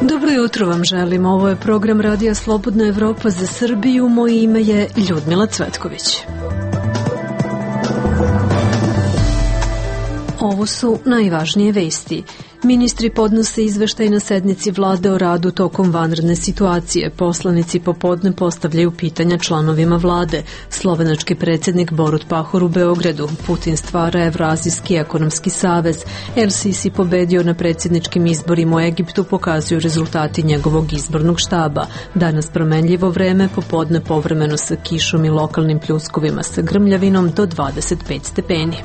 Dobro jutro vam želim. Ovo je program Radija Slobodna Evropa za Srbiju. Moje ime je Ljudmila Cvetković. Ovo su najvažnije vesti. Ministri podnose izveštaj na sednici vlade o radu tokom vanredne situacije. Poslanici popodne postavljaju pitanja članovima vlade. Slovenački predsjednik Borut Pahor u Beogradu. Putin stvara Evroazijski ekonomski savez. El Sisi pobedio na predsjedničkim izborima u Egiptu, pokazuju rezultati njegovog izbornog štaba. Danas promenljivo vreme, popodne povremeno sa kišom i lokalnim pljuskovima sa grmljavinom do 25 stepeni.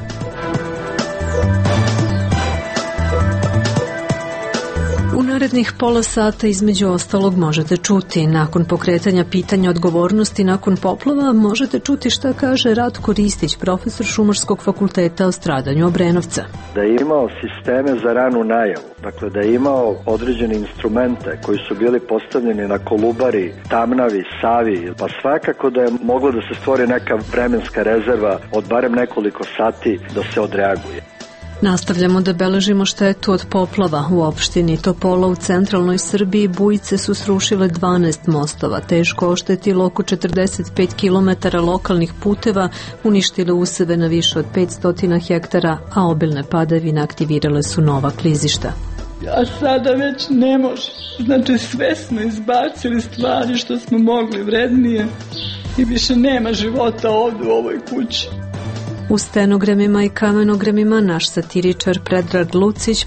U narednih pola sata između ostalog možete čuti: nakon pokretanja pitanja odgovornosti nakon poplava, možete čuti šta kaže Ratko Ristić, profesor Šumarskog fakulteta o stradanju Obrenovca. Da je imao sisteme za ranu najavu, dakle da je imao određene instrumente koji su bili postavljeni na Kolubari, Tamnavi, Savi, pa svakako da je moglo da se stvori neka vremenska rezerva od barem nekoliko sati da se odreaguje. Nastavljamo da beležimo štetu od poplava. U opštini Topola u centralnoj Srbiji bujice su srušile 12 mostova, teško oštetilo oko 45 km lokalnih puteva, uništile useve na više od 500 hektara, a obilne padavine aktivirale su nova klizišta. A sada već ne može. Znači sve smo izbacili stvari što smo mogli vrednije i više nema života ovdje u ovoj kući. U stenogramima i kamenogramima naš satiričar Predrag Lucić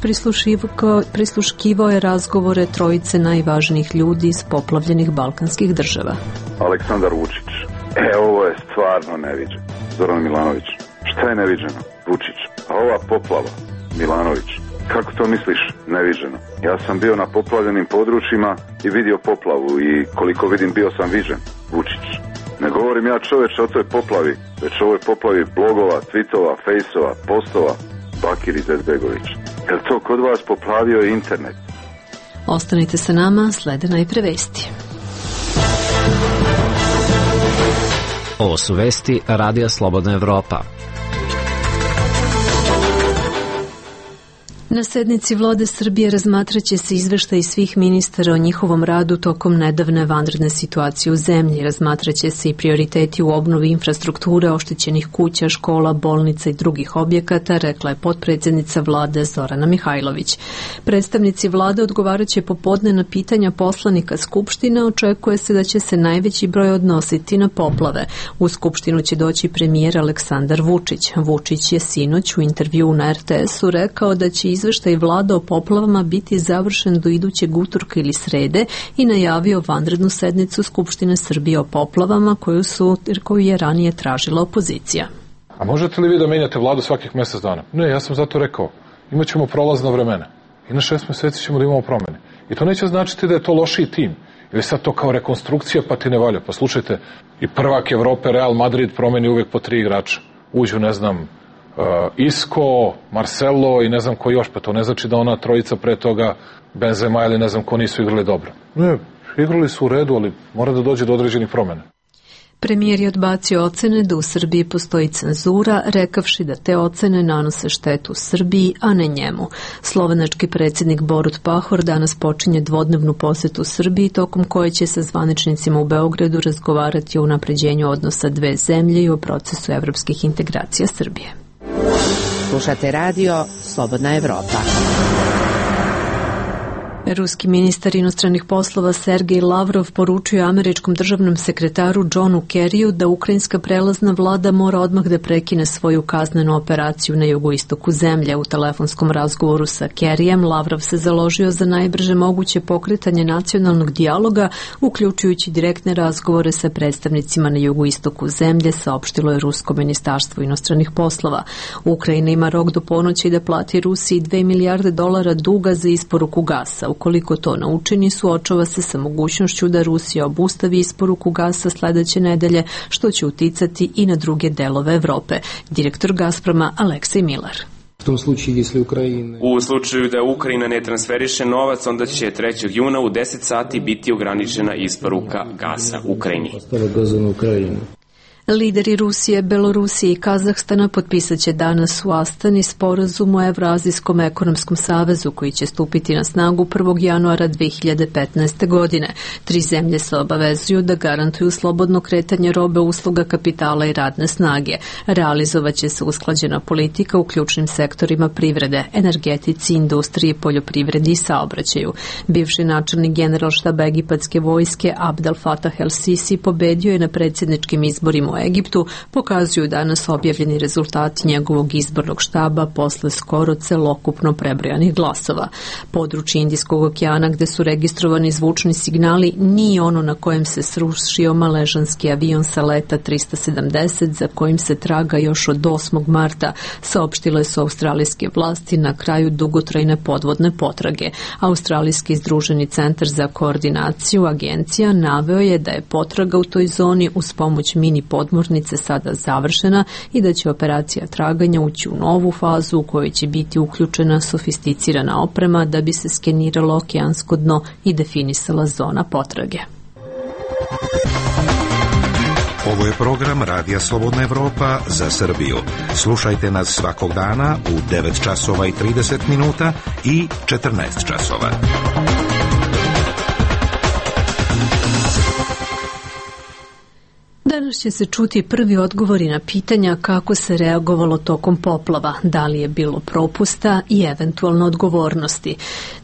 prisluškivao je razgovore trojice najvažnijih ljudi iz poplavljenih balkanskih država. Aleksandar Vučić. Ovo je stvarno neviđeno. Zoran Milanović. Šta je neviđeno? Vučić. A ova poplava? Milanović. Kako to misliš neviđeno? Ja sam bio na poplavljenim područjima i vidio poplavu i koliko vidim bio sam viđen. Vučić. Ne govorim ja čoveče o toj poplavi, već o ovoj poplavi blogova, tweetova, fejsova, postova, Bakir Izetbegović. Jel to kod vas poplavio internet? Ostanite sa nama, slede najpre vesti. Ovo su vesti Radija Slobodna Evropa. Na sednici vlade Srbije razmatraće se izveštaj svih ministara o njihovom radu tokom nedavne vanredne situacije u zemlji. Razmatraće se i prioriteti u obnovi infrastrukture, oštećenih kuća, škola, bolnica i drugih objekata, rekla je potpredsjednica vlade Zorana Mihajlović. Predstavnici vlade odgovaraće popodne na pitanja poslanika Skupštine. Očekuje se da će se najveći broj odnositi na poplave. U Skupštinu će doći premijer Aleksandar Vučić. Vučić je sinoć u intervjuu na RTS-u rekao da će izveštaj vlada o poplavama biti završen do idućeg utorka ili srede i najavio vanrednu sednicu Skupštine Srbije o poplavama koju je ranije tražila opozicija. A možete li vi da menjate vladu svakih mjesec dana? Ne, ja sam zato rekao, imat ćemo prolazna vremena i na 6 mjeseci ćemo da imamo promjene. I to neće značiti da je to lošiji tim ili sad to kao rekonstrukcija pa ti ne valja. Pa slušajte, i prvak Evrope Real Madrid promeni uvijek po 3 igrača. Uđu, ne znam, Isco, Marcelo i ne znam ko još, pa to ne znači da ona trojica pre toga, Benzema ili ne znam ko, nisu igrali dobro. Ne, igrali su u redu, ali mora da dođe do određenih promjena. Premijer je odbacio ocene da u Srbiji postoji cenzura, rekavši da te ocene nanose štetu Srbiji, a ne njemu. Slovenački predsjednik Borut Pahor danas počinje dvodnevnu posetu Srbiji, tokom koje će sa zvaničnicima u Beogradu razgovarati o unapređenju odnosa dve zemlje i o procesu evropskih integracija Srbije. Slušate radio Slobodna Evropa. Ruski ministar inostranih poslova Sergej Lavrov poručio američkom državnom sekretaru Johnu Kerryu da ukrajinska prelazna vlada mora odmah da prekine svoju kaznenu operaciju na jugoistoku zemlje. U telefonskom razgovoru sa Kerryjem Lavrov se založio za najbrže moguće pokretanje nacionalnog dijaloga, uključujući direktne razgovore sa predstavnicima na jugoistoku zemlje, saopštilo je Rusko ministarstvo inostranih poslova. Ukrajina ima rok do ponoći da plati Rusiji $2 milijarde duga za isporuku gasa. Ukoliko to ne učini, suočava se sa mogućnošću da Rusija obustavi isporuku gasa sledeće nedelje, što će uticati i na druge delove Evrope. Direktor Gazproma Aleksej Milar. U slučaju da Ukrajina ne transferiše novac, onda će 3. juna u 10 sati biti ograničena isporuka gasa Ukrajini. Lideri Rusije, Belorusije i Kazahstana potpisat će danas u Astani sporazum o Evroazijskom ekonomskom savezu koji će stupiti na snagu 1. januara 2015. godine. 3 zemlje se obavezuju da garantuju slobodno kretanje robe, usluga, kapitala i radne snage. Realizovaće se usklađena politika u ključnim sektorima privrede, energetici, industriji, poljoprivredi i saobraćaju. Bivši načelnik Generalštaba egipatske vojske Abdel Fattah el-Sisi pobedio je na predsjedničkim izborima u Egiptu, pokazuju danas objavljeni rezultati njegovog izbornog štaba posle skoro celokupno prebrojanih glasova. Područje Indijskog okeana gde su registrovani zvučni signali nije ono na kojem se srušio maležanski avion sa leta 370 za kojim se traga još od 8. marta, saopštile su australijske vlasti na kraju dugotrajne podvodne potrage. Australijski združeni centar za koordinaciju agencija naveo je da je potraga u toj zoni uz pomoć mini podmornice sada završena i da će operacija traganja ući u novu fazu u kojoj će biti uključena sofisticirana oprema da bi se skeniralo okeansko dno i definisala zona potrage. Ovo je program Radija Slobodna Evropa za Srbiju. Slušajte nas svakog dana u 9 časova i 30 minuta i 14 časova. Danas će se čuti prvi odgovori na pitanja kako se reagovalo tokom poplava, da li je bilo propusta i eventualno odgovornosti.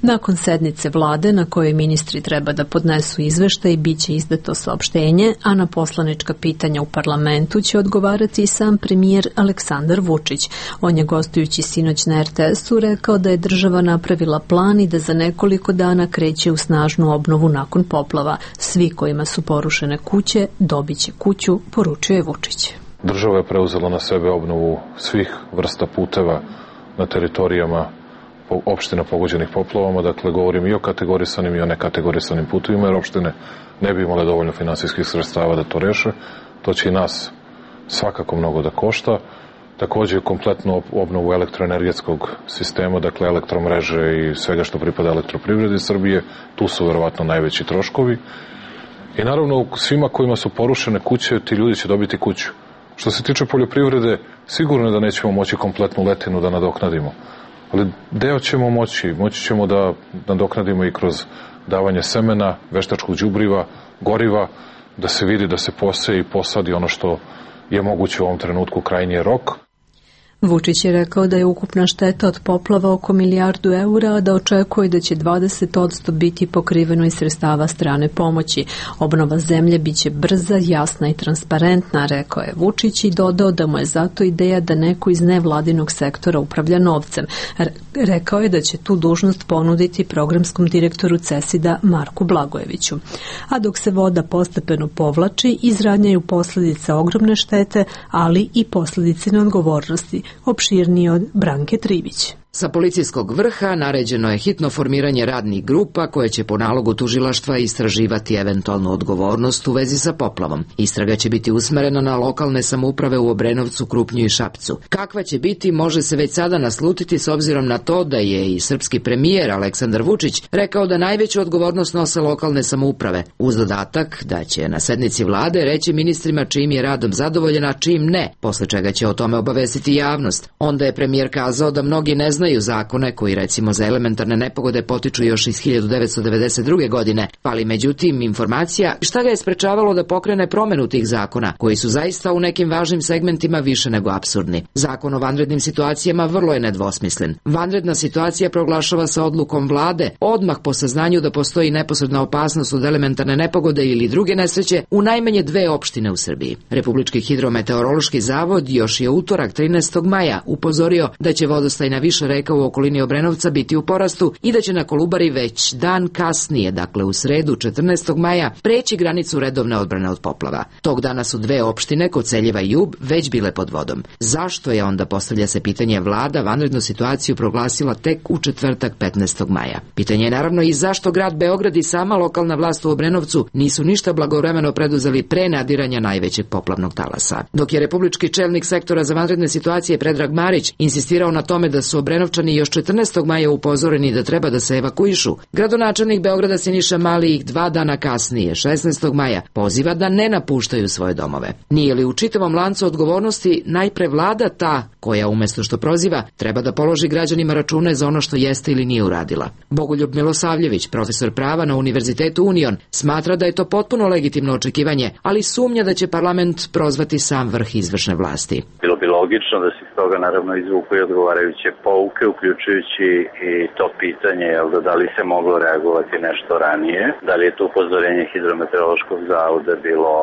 Nakon sednice vlade na kojoj ministri treba da podnesu izveštaj bit će izdato saopštenje, a na poslanička pitanja u parlamentu će odgovarati i sam premijer Aleksandar Vučić. On je gostujući sinoć na RTS-u rekao da je država napravila plan i da za nekoliko dana kreće u snažnu obnovu nakon poplava. Svi kojima su porušene kuće dobit će kuću, poručio je Vučić. Država je preuzela na sebe obnovu svih vrsta puteva na teritorijama opština pogođenih poplavama, dakle govorim i o kategorisanim i o nekategorisanim putevima, jer opštine ne bi imale dovoljno finansijskih sredstava da to reše. To će i nas svakako mnogo da košta. Takođe kompletnu obnovu elektroenergetskog sistema, dakle elektromreže i svega što pripada elektroprivredi Srbije, tu su verovatno najveći troškovi. I naravno svima kojima su porušene kuće, ti ljudi će dobiti kuću. Što se tiče poljoprivrede, sigurno je da nećemo moći kompletnu letinu da nadoknadimo. Ali deo ćemo moći ćemo da nadoknadimo i kroz davanje semena, veštačkog đubriva, goriva, da se vidi da se poseje i posadi ono što je moguće u ovom trenutku, krajnji je rok. Vučić je rekao da je ukupna šteta od poplava oko milijardu eura, a da očekuje da će 20% biti pokriveno iz sredstava strane pomoći. Obnova zemlje biće brza, jasna i transparentna, rekao je Vučić i dodao da mu je zato ideja da neko iz nevladinog sektora upravlja novcem. Rekao je da će tu dužnost ponuditi programskom direktoru CESID-a Marku Blagojeviću. A dok se voda postepeno povlači, izranjaju posljedice ogromne štete, ali i posljedice neodgovornosti. Opširnije od Branke Trivić. Sa policijskog vrha naređeno je hitno formiranje radnih grupa koje će po nalogu tužilaštva istraživati eventualnu odgovornost u vezi sa poplavom. Istraga će biti usmerena na lokalne samouprave u Obrenovcu, Krupnju i Šapcu. Kakva će biti, može se već sada naslutiti s obzirom na to da je i srpski premijer Aleksandar Vučić rekao da najveću odgovornost nose lokalne samouprave, uz dodatak da će na sednici vlade reći ministrima čijim je radom zadovoljen, a čijim ne, posle čega će o tome obavestiti javnost. Onda je premijer kazao da mnogi ne znaju zakone koji recimo za elementarne nepogode potiču još iz 1992. godine, ali međutim informacija šta ga je sprečavalo da pokrene promenu tih zakona, koji su zaista u nekim važnim segmentima više nego apsurdni. Zakon o vanrednim situacijama vrlo je nedvosmislen. Vanredna situacija proglašava se odlukom vlade odmah po saznanju da postoji neposredna opasnost od elementarne nepogode ili druge nesreće u najmanje 2 opštine u Srbiji. Republički hidrometeorološki zavod još je utorak 13. maja upozorio da će vodostaj na više reka u okolini Obrenovca biti u porastu i da će na Kolubari već dan kasnije, dakle u sredu 14. maja, preći granicu redovne odbrane od poplava. Tog dana su 2 opštine, Koceljeva i Jub, već bile pod vodom. Zašto je onda, postavlja se pitanje, vlada vanrednu situaciju proglasila tek u četvrtak 15. maja? Pitanje je naravno i zašto grad Beograd i sama lokalna vlast u Obrenovcu nisu ništa blagovremeno preduzeli pre nadiranja najvećeg poplavnog talasa. Dok je republički čelnik sektora za vanredne situacije Predrag Marić insistirao na tome da su Obrenovci Obrenovčani još 14. maja upozoreni da treba da se evakuišu, gradonačelnik Beograda Siniša Mali ih 2 dana kasnije, 16. maja, poziva da ne napuštaju svoje domove. Nije li u čitavom lancu odgovornosti najpre vlada ta koja umesto što proziva treba da položi građanima račune za ono što jeste ili nije uradila? Bogoljub Milosavljević, profesor prava na Univerzitetu Union, smatra da je to potpuno legitimno očekivanje, ali sumnja da će parlament prozvati sam vrh izvršne vlasti. Bilo bi logično da se iz toga naravno izvuku i odgovarajuće pouke, uključujući i to pitanje da li se moglo reagovati nešto ranije, da li je to upozorenje Hidrometeorološkog zavoda bilo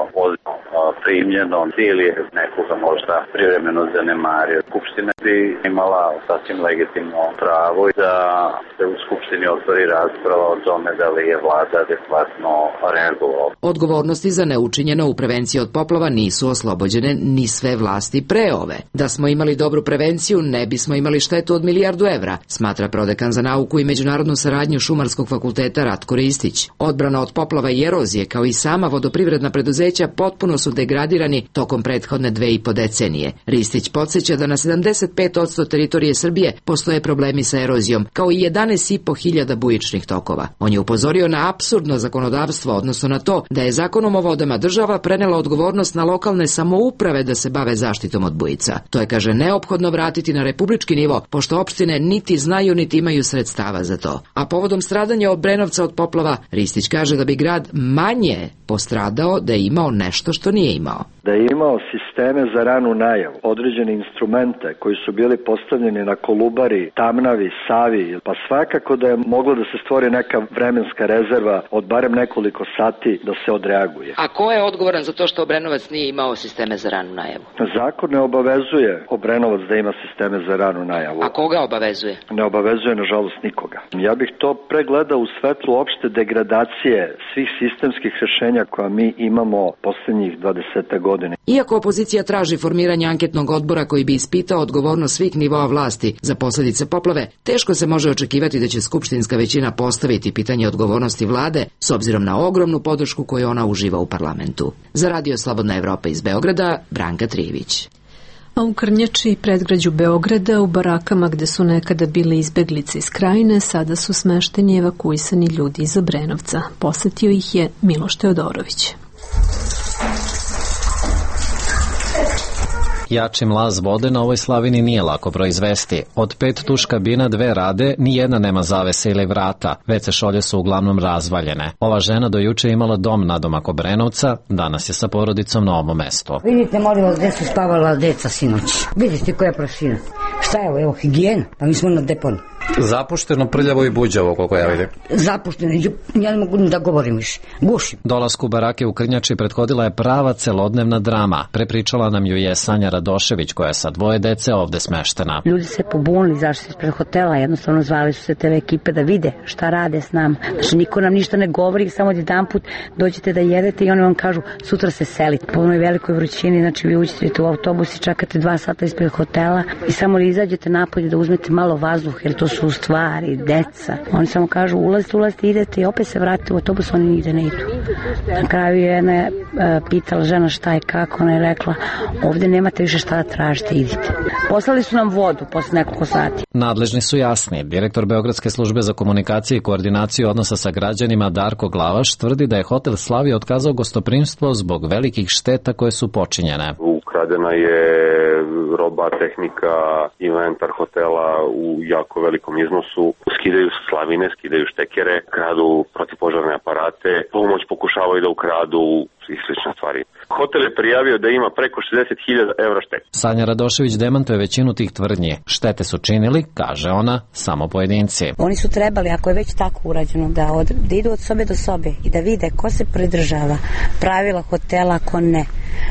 primljeno ili je nekoga možda privremeno zanemario. Skupština bi imala sasvim legitimno pravo da se u Skupštini otvori rasprava o tome da li je vlada adekvatno reagovala. Odgovornosti za neučinjeno u prevenciji od poplava nisu oslobođene ni sve vlasti pre ove. Da smo imali dobru prevenciju, ne bismo imali štetu od €1.000.000, smatra prodekan za nauku i međunarodnu saradnju Šumarskog fakulteta Ratko Ristić. Odbrana od poplava i erozije, kao i sama vodoprivredna preduzeća, potpuno su degradirani tokom prethodne 2,5 decenije. Ristić podsjeća da na 75% teritorije Srbije postoje problemi sa erozijom, kao i 11.500 bujičnih tokova. On je upozorio na apsurdno zakonodavstvo, odnosno na to da je zakonom o vodama država prenela odgovornost na lokalne samouprave da se bave zaštitom od bujica. To je, kaže, neophodno vratiti na republički nivo, pošto opštine niti znaju niti imaju sredstava za to. A povodom stradanja Obrenovca od poplava, Ristić kaže da bi grad manje postradao da je imao nešto što nije imao. Da je imao sisteme za ranu najavu, određene instrumente koji su bili postavljeni na Kolubari, Tamnavi, Savi, pa svakako da je moglo da se stvori neka vremenska rezerva od barem nekoliko sati da se odreaguje. A ko je odgovoran za to što Obrenovac nije imao sisteme za ranu najavu? Zakon ne obavezuje Obrenovac da ima sisteme za ranu najavu. A koga obavezuje? Ne obavezuje, nažalost, nikoga. Ja bih to pregledao u svetlu opšte degradacije svih sistemskih rešenja koja mi imamo poslednjih 20 godina. Iako opozicija traži formiranje anketnog odbora koji bi ispitao odgovornost svih nivoa vlasti za posljedice poplave, teško se može očekivati da će skupštinska većina postaviti pitanje odgovornosti vlade s obzirom na ogromnu podršku koju ona uživa u parlamentu. Za Radio Slobodna Evropa iz Beograda, Branka Trijević. A u Krnjači i predgrađu Beograda, u barakama gde su nekada bile izbeglice iz Krajine, sada su smešteni evakuisani ljudi iz Obrenovca. Posetio ih je Miloš Teodorović. Jači mlaz vode na ovoj slavini nije lako proizvesti. Od 5 tuš kabina 2 rade, nijedna nema zavese ili vrata. WC šolje su uglavnom razvaljene. Ova žena do juče imala dom nadomak Obrenovca, danas je sa porodicom na ovom mestu. Vidite, molim vas, gde su spavala deca sinoć. Vidite koja je prašina. Šta je ovo, evo, higijena? Pa mi smo na deponu. Zapušteno, prljavo i buđavo, koliko ja vidim. Zapušteno, ja ne mogu da govorim više. Gušim. Dolasku barake u Krnjači prethodila je prava celodnevna drama. Prepričala nam ju je Sanja Radošević, koja je sa 2 dece ovde smeštena. Ljudi se pobunili, zašto ispred hotela, jednostavno zvali su se TV ekipe da vide šta rade s nama. Znači, niko nam ništa ne govori, samo jedanput dođete da jedete i oni vam kažu sutra se selite. Po onoj velikoj vrućini, znači vi uđete u autobus i čekate 2 sata ispred hotela i samo li izađete napolje da uzmete malo vazduha, jer to su u stvari deca. Oni samo kažu ulazite, idete i opet se vratite u autobus, oni nigde ne idu. Na kraju je jedna pitala žena šta je kako, ona je rekla ovde nemate više šta da tražite, idite. Poslali su nam vodu posle nekoliko sati. Nadležni su jasni. Direktor Beogradske službe za komunikaciju i koordinaciju odnosa sa građanima Darko Glavaš tvrdi da je hotel Slavija otkazao gostoprimstvo zbog velikih šteta koje su počinjene. Ukradena je roba, tehnika, inventar hotela u jako velikom iznosu. Skidaju slavine, skidaju štekere, kradu protivpožarne aparate, pomoć pokušavaju da ukradu i slične stvari. Hotel je prijavio da ima preko 60.000 evra štete. Sanja Radošević demantuje većinu tih tvrdnji. Štete su činili, kaže ona, samo pojedinci. Oni su trebali, ako je već tako urađeno, da idu od sobe do sobe i da vide ko se pridržava pravila hotela, ko ne.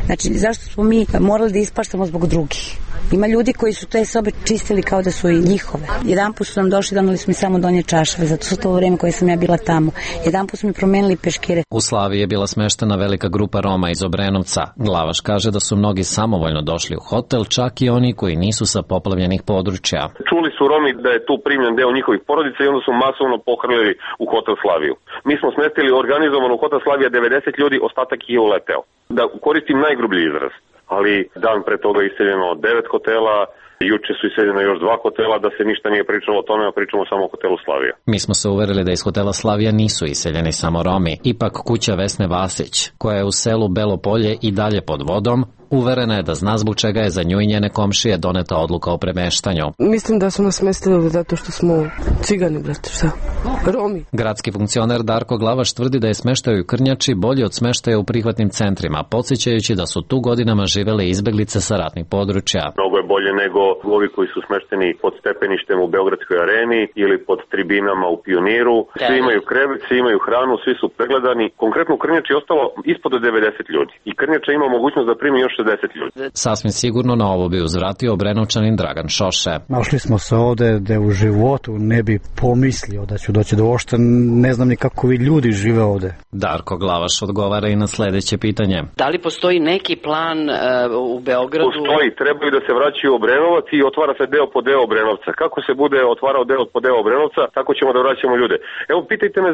Znači, zašto smo mi morali da ispaštamo zbog drugih? Ima ljudi koji su te sobe čistili kao da su i njihove. Jedanput su nam došli, donali su mi samo donje čašave, zato su to vreme koje sam ja bila tamo. Jedanput su mi promenili peškire. U Slaviji je bila smeštena velika grupa Roma iz Obrenovca. Glavaš kaže da su mnogi samovoljno došli u hotel, čak i oni koji nisu sa poplavljenih područja. Čuli su Romi da je tu primljen deo njihovih porodica i onda su masovno pohrlili u hotel Slaviju. Mi smo smestili organizovano u hotel Slavija 90 ljudi, ostatak je uleteo. Da koristim najgrublji izraz. Ali dan pre toga iseljeno 9 hotela, Juče su iseljena još 2 hotela, da se ništa nije pričalo o tome, a pričamo samo o hotelu Slavija. Mi smo se uverili da iz hotela Slavija nisu iseljeni samo Romi. Ipak kuća Vesne Vasić, koja je u selu Belo Polje i dalje pod vodom, uverena je da zna zbog čega je za nju i njene komšije doneta odluka o premeštanju. Mislim da su nas smestili zato što smo cigani, brate, šta? Romi. Gradski funkcioner Darko Glavaš tvrdi da je smeštaj u Krnjači bolji od smeštaja u prihvatnim centrima, podsjećajući da su tu godinama živele izbeglice sa ratnih područja. Mnogo je bolje nego ovi koji su smešteni pod stepeništem u Beogradskoj areni ili pod tribinama u Pioniru. Svi imaju krevet, svi imaju hranu, svi su pregledani. Konkretno u Krnjači je ostalo ispod 90 ljudi. I Krnjača ima mogućnost da primi još 60 ljudi. Sasvim sigurno na ovo bi uzvratio Obrenovčanin Dragan Šoše. Našli smo se ovde da u životu ne bi pomislio da ću doći do ošta, ne znam ni kako vi ljudi žive ovde. Darko Glavaš odgovara i na sledeće pitanje. Da li postoji neki plan u Beogradu? Postoji, trebaju da se vraćaju u Obrenovac i otvara se deo po deo Obrenovca. Kako se bude otvarao deo po deo Obrenovca, tako ćemo da vraćamo ljude. Evo, pitajte me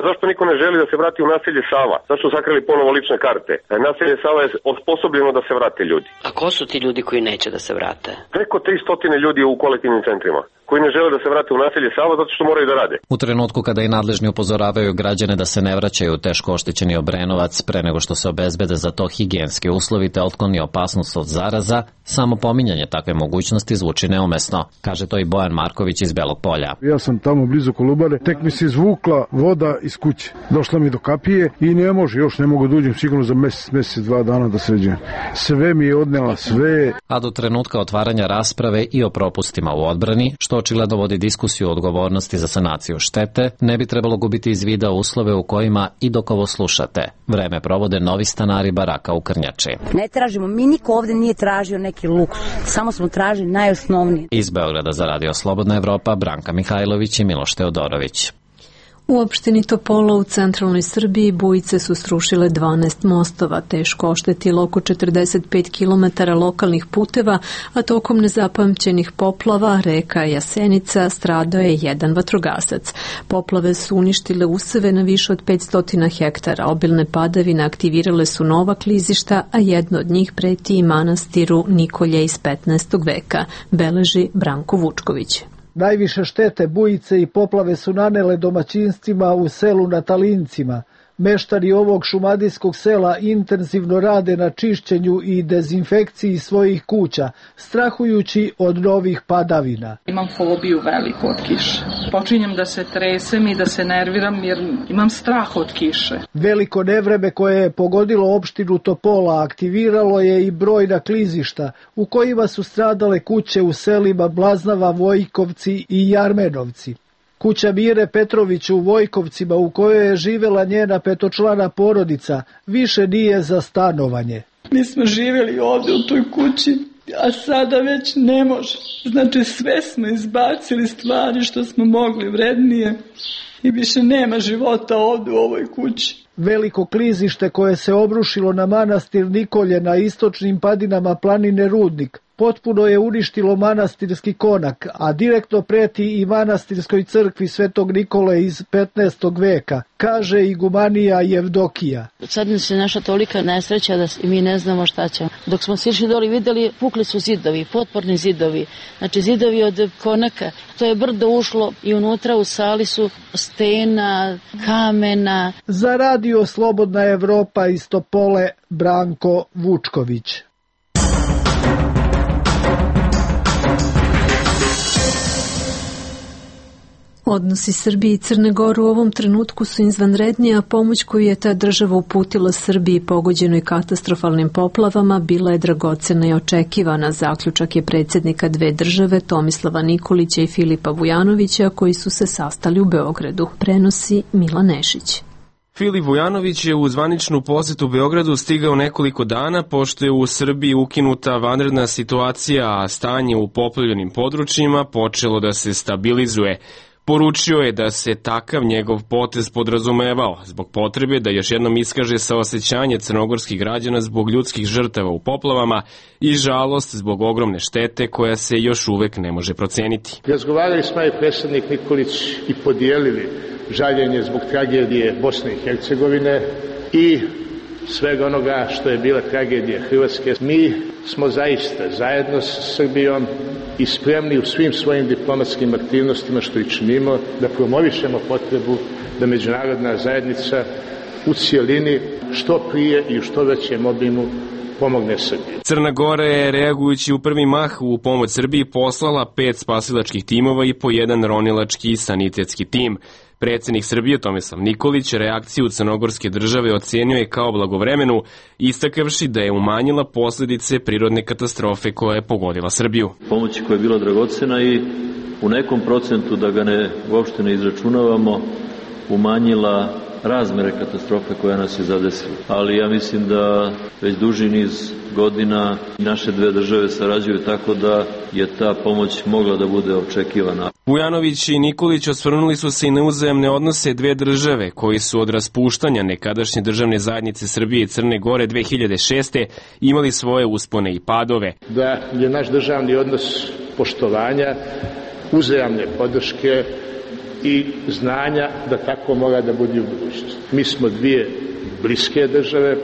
zašto niko ne želi da se vrati u naselje Sava? Zašto su sakrili ponovo lične karte? Naselje Sava je osposobljeno da se vrate ljudi. A ko su ti ljudi koji neće da se vrate? Preko 300 ljudi u kolektivnim centrima koji ne žele da se vrate u naselje Sava zato što moraju da rade. U trenutku kada i nadležni upozoravaju građane da se ne vraćaju u teško oštećeni Obrenovac pre nego što se obezbede za to higijenski uslovi te otkloni opasnost od zaraza, samo pominjanje takve mogućnosti zvuči neumesno, kaže to i Bojan Marković iz Belog Polja. Ja sam tamo blizu Kolubare, tek mi se izvukla voda iz kuće. Došla mi do kapije i ne mogu da uđem sigurno za mesec, 2 dana da sređujem. Sve mi je odnela, sve. A do trenutka otvaranja rasprave i o propustima u odbrani, što očigledno vodi diskusiju o odgovornosti za sanaciju štete, ne bi trebalo gubiti iz vida uslove u kojima i dok ovo slušate vreme provode novi stanari baraka u Krnjači. Ne tražimo, mi niko ovde nije tražio neki luksuz, samo smo tražili najosnovnije. Iz Beograda za Radio Slobodna Evropa, Branka Mihajlović i Miloš Teodorović. U opštini Topola u centralnoj Srbiji bujice su srušile 12 mostova, teško oštetilo oko 45 km lokalnih puteva, a tokom nezapamćenih poplava reka Jasenica stradao je jedan vatrogasac. Poplave su uništile useve na više od 500 hektara, obilne padavine aktivirale su nova klizišta, a jedno od njih preti i manastiru Nikolje iz 15. veka, beleži Branko Vučković. Najviše štete bujice i poplave su nanele domaćinstvima u selu na Talincima. Meštari ovog šumadijskog sela intenzivno rade na čišćenju i dezinfekciji svojih kuća, strahujući od novih padavina. Imam fobiju veliku od kiše. Počinjem da se tresem i da se nerviram jer imam strah od kiše. Veliko nevreme koje je pogodilo opštinu Topola aktiviralo je i brojna klizišta u kojima su stradale kuće u selima Blaznava, Vojkovci i Jarmenovci. Kuća Mire Petrović u Vojkovcima u kojoj je živela njena 5-člana porodica više nije za stanovanje. Mi smo živjeli ovdje u toj kući, a sada već ne može. Znači sve smo izbacili stvari što smo mogli vrednije i više nema života ovdje u ovoj kući. Veliko klizište koje se obrušilo na manastir Nikolje na istočnim padinama planine Rudnik potpuno je uništilo manastirski konak, a direktno preti i manastirskoj crkvi Svetog Nikole iz 15. veka, kaže igumanija Jevdokija. Sad se naša tolika nesreća da mi ne znamo šta ćemo. Dok smo sišli doli videli, pukli su zidovi, potporni zidovi, znači zidovi od konaka. To je brdo ušlo i unutra u sali su stena, kamena. Za Radio Slobodna Evropa iz Topole, Branko Vučković. Odnosi Srbije i Crne Gore u ovom trenutku su izvanredni, a pomoć koju je ta država uputila Srbiji pogođenoj katastrofalnim poplavama bila je dragocena i očekivana. Zaključak je predsjednika dve države Tomislava Nikolića i Filipa Vujanovića koji su se sastali u Beogradu. Prenosi Mila Nešić. Filip Vujanović je u zvaničnu posetu Beogradu stigao nekoliko dana pošto je u Srbiji ukinuta vanredna situacija, a stanje u poplavljenim područjima počelo da se stabilizuje. Poručio je da se takav njegov potez podrazumevao zbog potrebe da još jednom iskaže saosećanje crnogorskih građana zbog ljudskih žrtava u poplavama i žalost zbog ogromne štete koja se još uvek ne može proceniti. Razgovarali smo i predsjednik Nikolić i podijelili žaljenje zbog tragedije Bosne i Hercegovine i svega onoga što je bila tragedija Hrvatske. Mi smo zaista zajedno s Srbijom i spremni u svim svojim diplomatskim aktivnostima što i činimo da promovišemo potrebu da međunarodna zajednica u cijelini što prije i u što većem obimu pomogne Srbiji. Crna Gora je, reagujući u prvi mah u pomoć Srbiji, poslala 5 spasilačkih timova i po 1 ronilački i sanitetski tim. Predsednik Srbije Tomislav Nikolić reakciju crnogorske države ocenio je kao blagovremenu, istakavši da je umanjila posledice prirodne katastrofe koja je pogodila Srbiju. Pomoć koja je bila dragocena i u nekom procentu, da ga uopšte ne izračunavamo, umanjila razmere katastrofe koja nas je zadesila. Ali ja mislim da već duži niz godina naše dve države sarađuju tako da je ta pomoć mogla da bude očekivana. Vujanović i Nikolić osvrnuli su se i na uzajamne odnose dve države koji su od raspuštanja nekadašnje državne zajednice Srbije i Crne Gore 2006. imali svoje uspone i padove. Da je naš državni odnos poštovanja, uzajamne podrške i znanja da tako mora da bude u budućnosti. Mi smo dvije bliske države,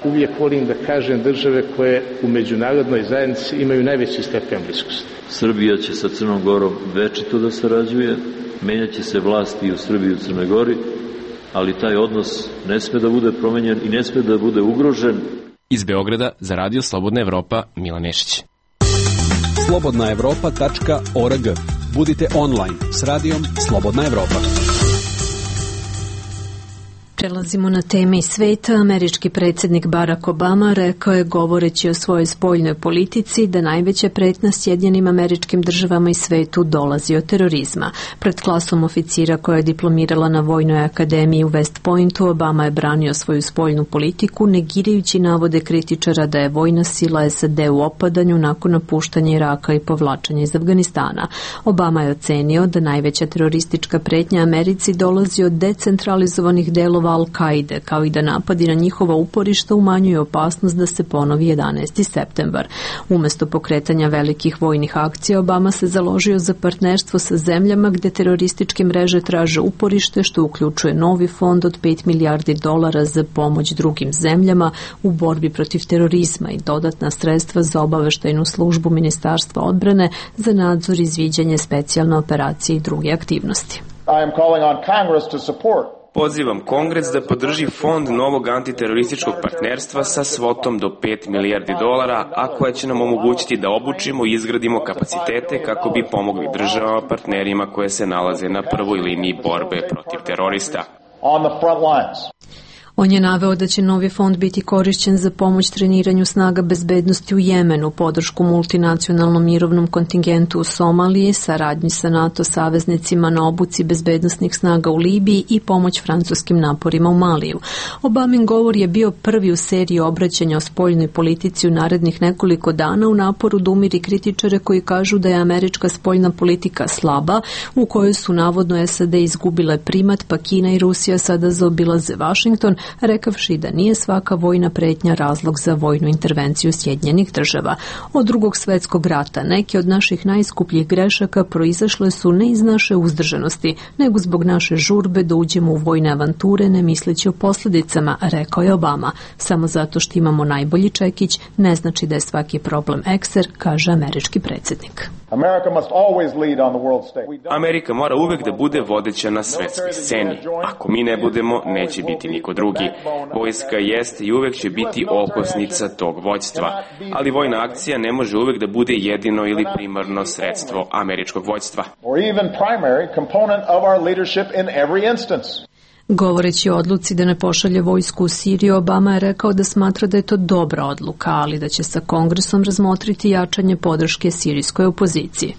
uvijek volim da kažem države koje u međunarodnoj zajednici imaju najveći stepen bliskosti. Srbija će sa Crnom Gorom večito da sarađuje, menjaće se vlasti i u Srbiji i u Crnoj Gori, ali taj odnos ne sme da bude promenjen i ne sme da bude ugrožen. Iz Beograda za Radio Slobodna Evropa, Milan Nešić. slobodnaevropa.org. Budite online s radijom Slobodna Evropa. Prelazimo na teme iz sveta. Američki predsjednik Barack Obama rekao je, govoreći o svojoj spoljnoj politici, da najveća pretnja Sjedinjenim Američkim Državama i svetu dolazi od terorizma. Pred klasom oficira koja je diplomirala na Vojnoj akademiji u West Pointu, Obama je branio svoju spoljnu politiku, negirajući navode kritičara da je vojna sila SAD u opadanju nakon napuštanja Iraka i povlačenja iz Afganistana. Obama je ocenio da najveća teroristička pretnja Americi dolazi od decentralizovanih delova Al-Kaide, kao i da napadi na njihova uporišta umanjuju opasnost da se ponovi 11. septembar. Umesto pokretanja velikih vojnih akcija, Obama se založio za partnerstvo sa zemljama gde terorističke mreže traže uporište, što uključuje novi fond od $5 milijardi za pomoć drugim zemljama u borbi protiv terorizma i dodatna sredstva za obaveštajnu službu Ministarstva odbrane za nadzor i izviđanje specijalne operacije i druge aktivnosti. I am calling on Congress to support. Pozivam Kongres da podrži fond novog antiterorističkog partnerstva sa svotom do $5 milijardi, a koja će nam omogućiti da obučimo i izgradimo kapacitete kako bi pomogli državama partnerima koje se nalaze na prvoj liniji borbe protiv terorista. On the front lines. On je naveo da će novi fond biti korišćen za pomoć treniranju snaga bezbednosti u Jemenu, podršku multinacionalnom mirovnom kontingentu u Somaliji, saradnji sa NATO saveznicima na obuci bezbednosnih snaga u Libiji i pomoć francuskim naporima u Maliju. Obamin govor je bio prvi u seriji obraćanja o spoljnoj politici u narednih nekoliko dana u naporu da umiri kritičare koji kažu da je američka spoljna politika slaba, u kojoj su navodno SAD izgubile primat, pa Kina i Rusija sada zaobilaze Vašington, rekavši da nije svaka vojna pretnja razlog za vojnu intervenciju Sjedinjenih država. Od Drugog svetskog rata neke od naših najskupljih grešaka proizašle su ne iz naše uzdržanosti, nego zbog naše žurbe da uđemo u vojne avanture ne misleći o posljedicama, rekao je Obama. Samo zato što imamo najbolji čekić ne znači da je svaki problem ekser, kaže američki predsjednik. Amerika mora uvek da bude vodeća na svetskoj sceni. Ako mi ne budemo, neće biti niko drugi. Vojska jeste i uvek će biti okosnica tog vođstva, ali vojna akcija ne može uvek da bude jedino ili primarno sredstvo američkog vođstva. Govoreći o odluci da ne pošalje vojsku u Siriju, Obama je rekao da smatra da je to dobra odluka, ali da će sa Kongresom razmotriti jačanje podrške sirijskoj opoziciji.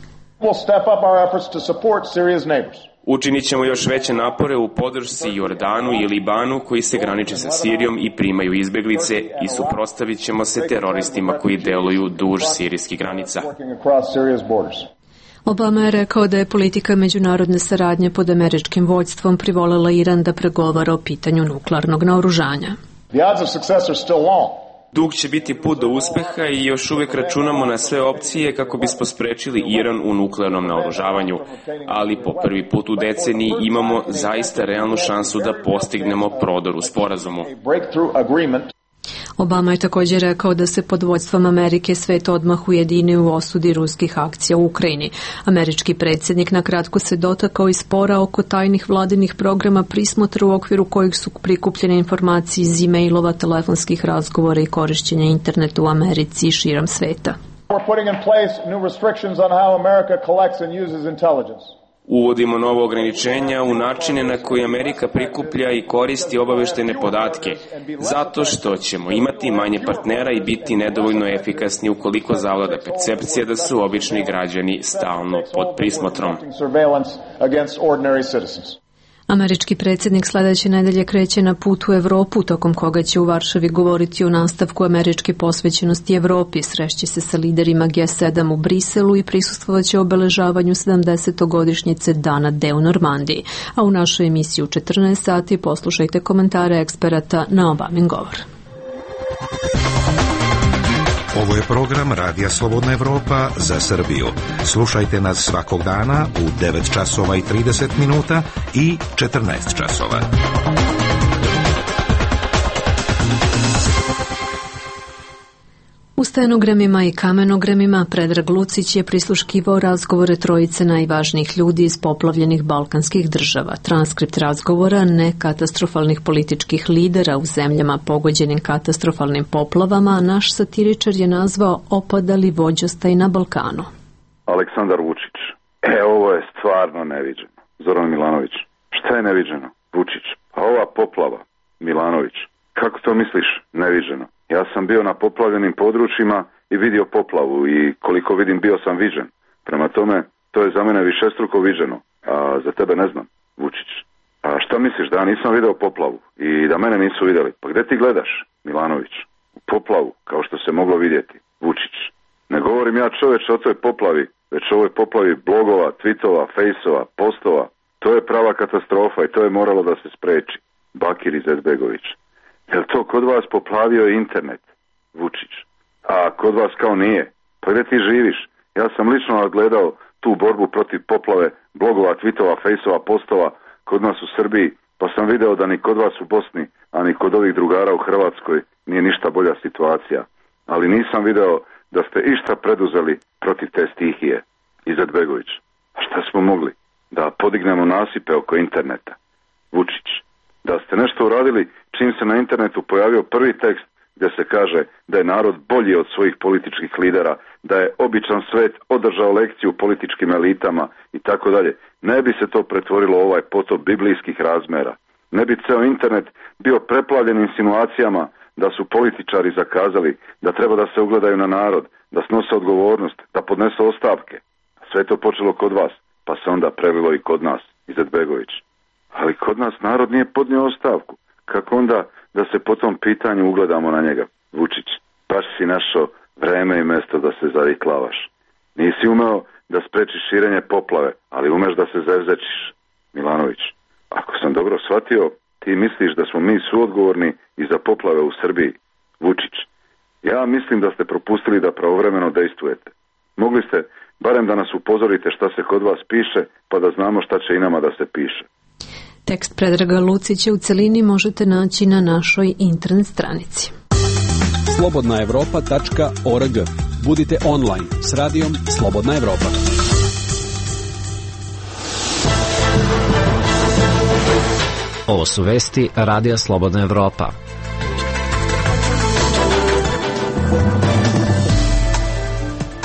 Učinit ćemo još veće napore u podršci Jordanu i Libanu koji se graniče sa Sirijom i primaju izbeglice i suprotstavit ćemo se teroristima koji deluju duž sirijskih granica. Obama je rekao da je politika međunarodne saradnje pod američkim vođstvom privolila Iran da pregovara o pitanju nuklearnog naoružanja. Dug će biti put do uspeha i još uvek računamo na sve opcije kako bismo sprečili Iran u nuklearnom naoružavanju, ali po prvi put u deceniji imamo zaista realnu šansu da postignemo prodor u sporazumu. Obama je također rekao da se pod vođstvom Amerike svet odmah ujedini u osudi ruskih akcija u Ukrajini. Američki predsjednik na kratko se dotakao i spora oko tajnih vladinih programa prismotra u okviru kojih su prikupljene informacije iz e-mailova, telefonskih razgovora i korišćenja interneta u Americi i širom sveta. We're putting in place new restrictions on how America collects and uses intelligence. Uvodimo novo ograničenja u načine na koji Amerika prikuplja i koristi obaveštene podatke, zato što ćemo imati manje partnera i biti nedovoljno efikasni ukoliko zavlada percepcija da su obični građani stalno pod prismotrom. Američki predsjednik sljedeće nedelje kreće na put u Evropu, tokom koga će u Varšavi govoriti o nastavku američke posvećenosti Evropi, srešće se sa liderima G7 u Briselu i prisustvovaće obeležavanju 70-godišnjice Dana D u Normandiji. A u našoj emisiji u 14 sati poslušajte komentare eksperata na Obamin govor. Ovo je program Radija Slobodna Evropa za Srbiju. Slušajte nas svakog dana u 9 časova i 30 minuta i 14 časova. U stenogramima i kamenogramima Predrag Lucić je prisluškivao razgovore trojice najvažnijih ljudi iz poplavljenih balkanskih država. Transkript razgovora nekatastrofalnih političkih lidera u zemljama pogođenim katastrofalnim poplavama naš satiričar je nazvao opadali vođostaj na Balkanu. Aleksandar Vučić. Ovo je stvarno neviđeno. Zoran Milanović. Šta je neviđeno? Vučić. A ova poplava? Milanović. Kako to misliš neviđeno? Ja sam bio na poplavljenim područjima i vidio poplavu i koliko vidim bio sam viđen. Prema tome, to je za mene višestruko viđeno, a za tebe ne znam, Vučić. A šta misliš, da ja nisam video poplavu i da mene nisu vidjeli? Pa gde ti gledaš, Milanović? U poplavu, kao što se moglo vidjeti, Vučić. Ne govorim ja čoveče o toj poplavi, već o ovoj poplavi blogova, tweetova, fejsova, postova. To je prava katastrofa i to je moralo da se spreči. Bakir Izetbegović. Jel to kod vas poplavio internet, Vučić? A kod vas kao nije? Pa gdje ti živiš? Ja sam lično gledao tu borbu protiv poplave blogova, tweetova, fejsova, postova kod nas u Srbiji, pa sam video da ni kod vas u Bosni, a ni kod ovih drugara u Hrvatskoj nije ništa bolja situacija. Ali nisam video da ste išta preduzeli protiv te stihije, Izetbegović. A šta smo mogli? Da podignemo nasipe oko interneta, Vučić. Da ste nešto uradili čim se na internetu pojavio prvi tekst gdje se kaže da je narod bolji od svojih političkih lidera, da je običan svet održao lekciju političkim elitama i tako dalje. Ne bi se to pretvorilo u ovaj potop biblijskih razmera. Ne bi ceo internet bio preplavljen insinuacijama da su političari zakazali, da treba da se ugledaju na narod, da snose odgovornost, da podnesu ostavke. Sve to počelo kod vas, pa se onda prelilo i kod nas, Izetbegović. Ali kod nas narod nije podnio ostavku. Kako onda da se po tom pitanju ugledamo na njega, Vučić? Baš si našao vreme i mesto da se zariklavaš. Nisi umeo da sprečiš širenje poplave, ali umeš da se zevzečiš, Milanović. Ako sam dobro shvatio, ti misliš da smo mi suodgovorni i za poplave u Srbiji, Vučić. Ja mislim da ste propustili da pravovremeno dejstvujete. Mogli ste barem da nas upozorite šta se kod vas piše, pa da znamo šta će i nama da se piše. Tekst Predraga Lucića u celini možete naći na našoj internet stranici. slobodnaevropa.org. Budite online s radijom Slobodna Evropa. Ovo su vesti Radija Slobodna Evropa.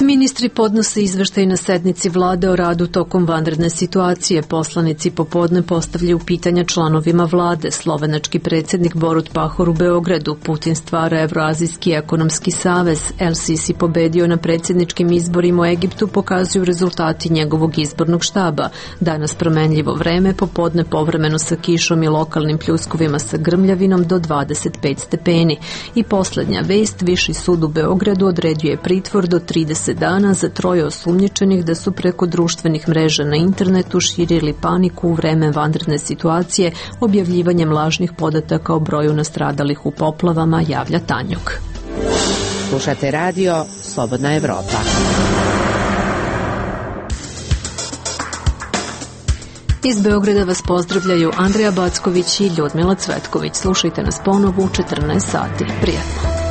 Ministri podnose izveštaj na sednici vlade o radu tokom vanredne situacije. Poslanici popodne postavljaju pitanja članovima vlade. Slovenački predsjednik Borut Pahor u Beogradu. Putin stvara Evroazijski ekonomski savez. El Sisi pobedio na predsjedničkim izborima u Egiptu, pokazuju rezultati njegovog izbornog štaba. Danas promenljivo vreme, popodne povremeno sa kišom i lokalnim pljuskovima sa grmljavinom do 25 stepeni. I posljednja vest, Viši sud u Beogradu odredio pritvor do 30 dana za 3 osumnjičenih da su preko društvenih mreža na internetu širili paniku u vreme vanredne situacije objavljivanjem lažnih podataka o broju nastradalih u poplavama, javlja Tanjuk. Slušate radio Slobodna Evropa. Iz Beograda vas pozdravljaju Andreja Backović i Ljudmila Cvetković. Slušajte nas ponovo u 14 sati. Prijatno.